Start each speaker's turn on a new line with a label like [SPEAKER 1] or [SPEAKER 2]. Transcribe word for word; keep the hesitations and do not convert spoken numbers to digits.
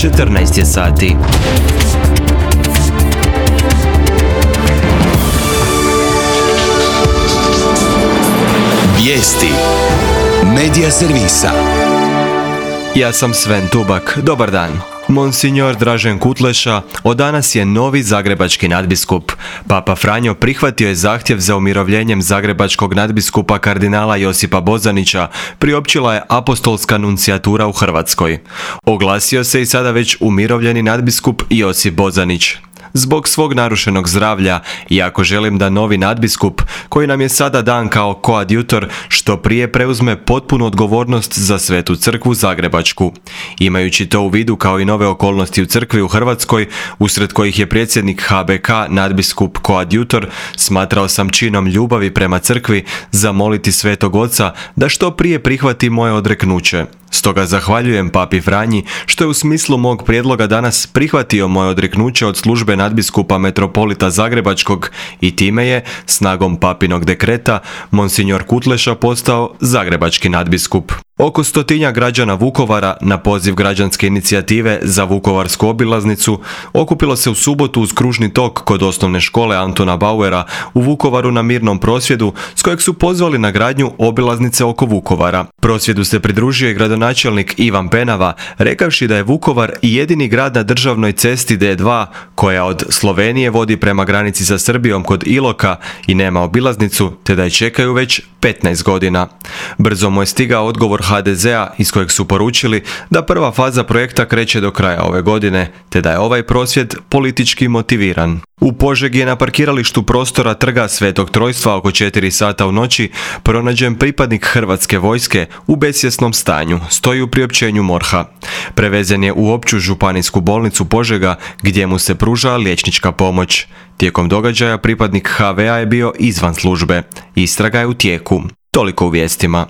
[SPEAKER 1] četrnaest je sati.
[SPEAKER 2] Vijesti Medija servisa.
[SPEAKER 1] Ja sam Sven Tubak, dobar dan. Monsignor Dražen Kutleša od danas je novi zagrebački nadbiskup. Papa Franjo prihvatio je zahtjev za umirovljenjem zagrebačkog nadbiskupa kardinala Josipa Bozanića, priopćila je apostolska nuncijatura u Hrvatskoj. Oglasio se i sada već umirovljeni nadbiskup Josip Bozanić. Zbog svog narušenog zdravlja, iako želim da novi nadbiskup, koji nam je sada dan kao koadjutor, što prije preuzme potpunu odgovornost za Svetu crkvu zagrebačku. Imajući to u vidu kao i nove okolnosti u crkvi u Hrvatskoj, usred kojih je predsjednik H B K nadbiskup koadjutor, smatrao sam činom ljubavi prema crkvi zamoliti Svetog Oca da što prije prihvati moje odreknuće. Stoga zahvaljujem Papi Franji što je u smislu mog prijedloga danas prihvatio moje odreknuće od službe nadbiskupa metropolita Zagrebačkog i time je, snagom papinog dekreta, Monsignor Kutleša postao zagrebački nadbiskup. Oko stotinja građana Vukovara na poziv građanske inicijative za Vukovarsku obilaznicu okupilo se u subotu uz kružni tok kod osnovne škole Antuna Bauera u Vukovaru na mirnom prosvjedu s kojeg su pozvali na gradnju obilaznice oko Vukovara. Prosvjedu se pridružio i gradonačelnik Ivan Penava, rekavši da je Vukovar jedini grad na državnoj cesti D dva koja od Slovenije vodi prema granici sa Srbijom kod Iloka i nema obilaznicu, te da je čekaju već petnaest godina. Brzo mu je stigao odgovor H D Z-a iz kojeg su poručili da prva faza projekta kreće do kraja ove godine, te da je ovaj prosvjed politički motiviran. U Požegi je na parkiralištu prostora Trga Svetog Trojstva oko četiri sata u noći pronađen pripadnik Hrvatske vojske u besvjesnom stanju, stoji u priopćenju MORH-a. Prevezen je u opću županijsku bolnicu Požega gdje mu se pruža liječnička pomoć. Tijekom događaja pripadnik H V A je bio izvan službe. Istraga je u tijeku. Toliko u vijestima.